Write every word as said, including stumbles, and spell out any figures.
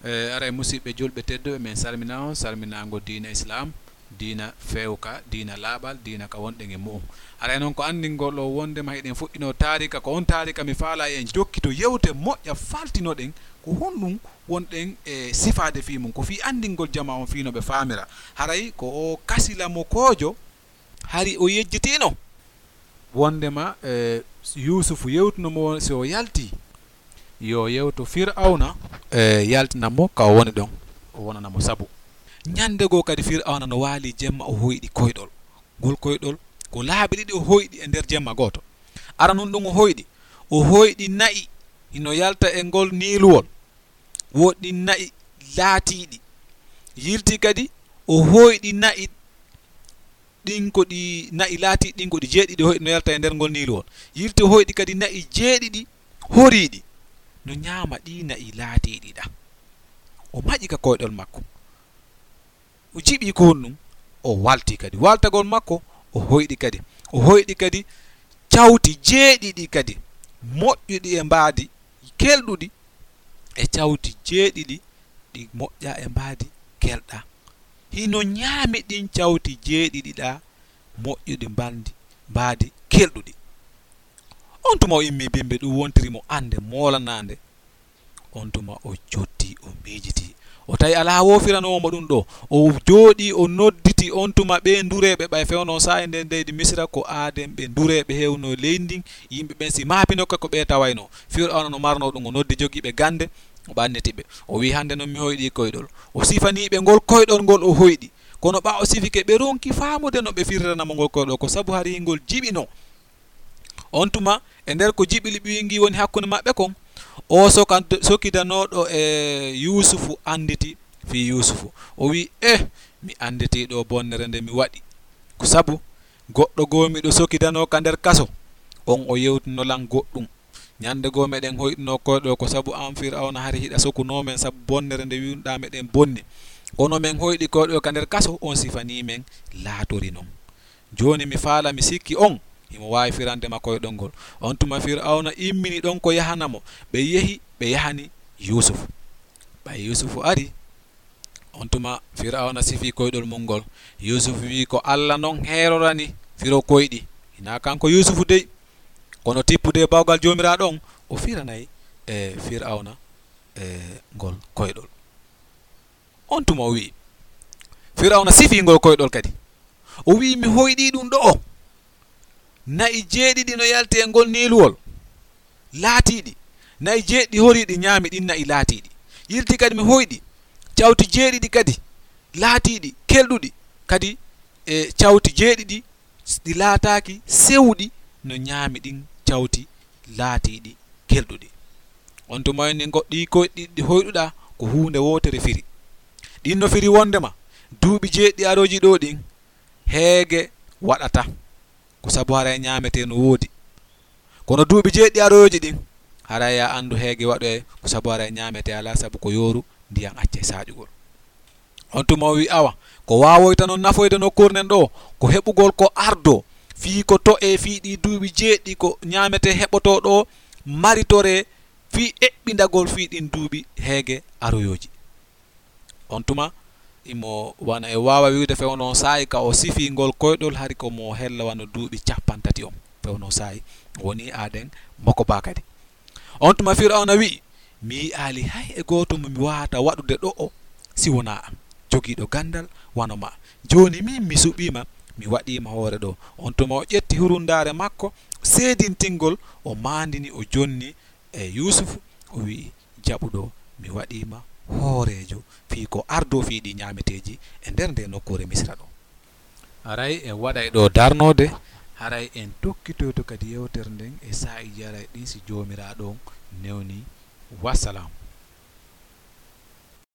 E, aray, musiɓɓe julɓe tedduɓe, min salmina on salminaango diina Islam, diina feewka, diina laaɓal, diina ka wonɗen e mu'um. Aray noon, ko anndingol ɗo wonndema hiɗen fuɗɗinoo taarika, ko on taarika mi faala en jokkito yewte moƴƴa faltinoɗen ko honɗum wonɗen e sifaade fii mum, ko fii anndingol jamaa on fii no ɓe faamira. Haray ko o kasilamokoojo hari o yejjitiino wonndema, e, Yuusufu yewtuno mo si o yalti yo yewto Fir'awna, e, yaltina mo ka o woni ɗon, o wonana mo sabu. Ñannde goo kadi Fir'awna no waali jemma, o hoyɗi koyɗol. Ngol koyɗol ko laabi ɗiɗi o hoyɗi e nder jemma gooto. Aranun ɗum o hoyɗi, o hoyɗi na'i hino yalta e ngol niiluwol, woɗɗi na'i laatiiɗi. Yilti kadi o hoyɗi na'i ɗin ko ɗi na'i laatiiɗi ɗin ko ɗi jeeɗiɗi hoyɗi no yalta e nder ngol niiluwol. Yilti o hoyɗi kadi na'i jeeɗiɗi horiiɗi no ñaama ɗi na'i laatiiɗi ɗa. O maƴi ka koyɗol makko. O jiɓi ko honɗum, o walti kadi. Waltagol makko, o hoyɗi kadi. O hoyɗi kadi cawti jeeɗiɗi kadi, moƴƴuɗi e mbaadi, kelɗuɗi, e cawti jeeɗiɗi ɗi moƴƴa e mbaadi kelɗa. Hino ñaami ɗin cawti jeeɗiɗi ɗa, moƴƴuɗi mbaadi, mbaadi kelɗuɗi. On tuma o immii bimbi, ɗum wontiri mo annde moolanaande. On tuma o jottii, o miijitii. O tawi alaa woofiranoowo mo ɗum ɗoo. O jooɗii, o nodditi on tuma ɓee ndureeɓe, ɓay fewno saa'i nden leydi Misira ko aaden ɓe ndureeɓe heewno leydi ndin. Yimɓe ɓen si maapinoka ko ɓee tawaynoo. Fir'awna no marnoo ɗum, o noddi jogiiɓe gannde, o ɓanniti ɓe. O wi'i, "Hannde non mi hoyɗii koyɗol." O sifanii ɓe ngol koyɗol ngol o hoyɗi. Kono ɓaa o sifike, ɓe ronki faamude no ɓe firirana mo ngol koyɗol, ko sabu hari ngol jiɓinoo. On tuma, e nder ko jiɓiliɓiingi woni hakkunde maɓɓe kon, o soka-, sokidanooɗo e Yuusufu annditi fii Yuusufu. O wi'i, "Eh, mi annditii ɗoo bonnere nde mi waɗi. Ko sabu goɗɗo goo miɗo sokidanoo ka nder kaso, on o yewtino lan goɗɗum. Ñannde goo meɗen hoyɗinoo koyɗol ko sabu an Fir'awna hari hiɗa sokunoo men sabu bonnere nde wi'unoɗaa meɗen bonni. Kono men hoyɗi koyɗol ka nder kaso, on sifanii men laatori non. Jooni mi faala, mi sikki on himo waawi firande ma koyɗol ngol." On tuma Fir'awna immini ɗon ko yahana mo. Ɓe yehi, ɓe yahani Yuusufu. Ɓay Yuusufu ari, on tuma Fir'awna sifii koyɗol mum ngol. Yuusufu wi'i, "Ko Alla non heerorani firo koyɗi. Hinaa kanko Yuusufu dey. Kono tippude bawgal Joomiraaɗo on, o firanay, e, Fir'awna, e, ngol koyɗol." On tuma o wi'i, Fir'awna sifii ngol koyɗol kadi. O wi'i, "Mi hoyɗii ɗum ɗo'o. Na'i jeeɗiɗi no yalti e ngol niiluwol, laatiiɗi. Na'i jeeɗiɗi horiiɗi ñaami ɗin na'i laatiiɗi. Yilti kadi mi hoyɗi cawti jeeɗiɗi kadi laatiiɗi, kelɗuɗi. Kadi e cawti jeeɗiɗi ɗi laataaki sewuɗi no ñaami ɗin cawti laatiiɗi kelɗuɗi." On tuma o inni, "Goɗɗi koyɗi ɗi hoyɗuɗaa ko huunde wootere firi. Ɗin no firi wondema duuɓi jeeɗiɗi arooji ɗoo ɗin, heege waɗata, ko sabu haray ñaametee no woodi. Kono duuɓi jeeɗiɗi arooji ɗin, haray a anndu heege waɗoyay, ko sabu haray ñaametee alaa, sabu ko yooru, ndiyan accay saaƴugol." On tuma o wi'i, "Awa, ko waawoyta non nafoyde nokkuure nden ɗoo, ko heɓugol ko ardoo, fii ko to'ee fii ɗii duuɓi jeeɗiɗi ko ñaametee heɓotoo ɗoo, maritoree fii eɓɓindagol fii ɗin duuɓi heege aroyooji." On tuma, imo wano e waawa wi'ude fewno saa'i ka o sifii ngol koyɗol, hari ko mo hella wano duuɓi cappanɗe tati on. Fewno saa'i woni aaden moko baa kadi. On tuma Fir'awna wi'i, "Mi yi'aali hay e gooto mo mi waawata waɗude ɗo'o si wonaa an, jogiiɗo ganndal wano maa. Jooni min mi suɓiima, mi waɗiima hoore ɗoo." On tuma o ƴetti hurundaare makko seedintingol, o maandini, o jonni e Yuusufu, o wi'i, "Jaɓu ɗoo, mi waɗiima hooreejo fii ko ardoo fii ɗii ñaameteeji e nder ndee nokkuure Misira ɗoo." Haray en waɗay ɗoo darnoode, haray en tokkitoyto kadi yewtere nden e saa'iiji arayɗi ɗin si Joomiraaɗo on newnii. Wassalam.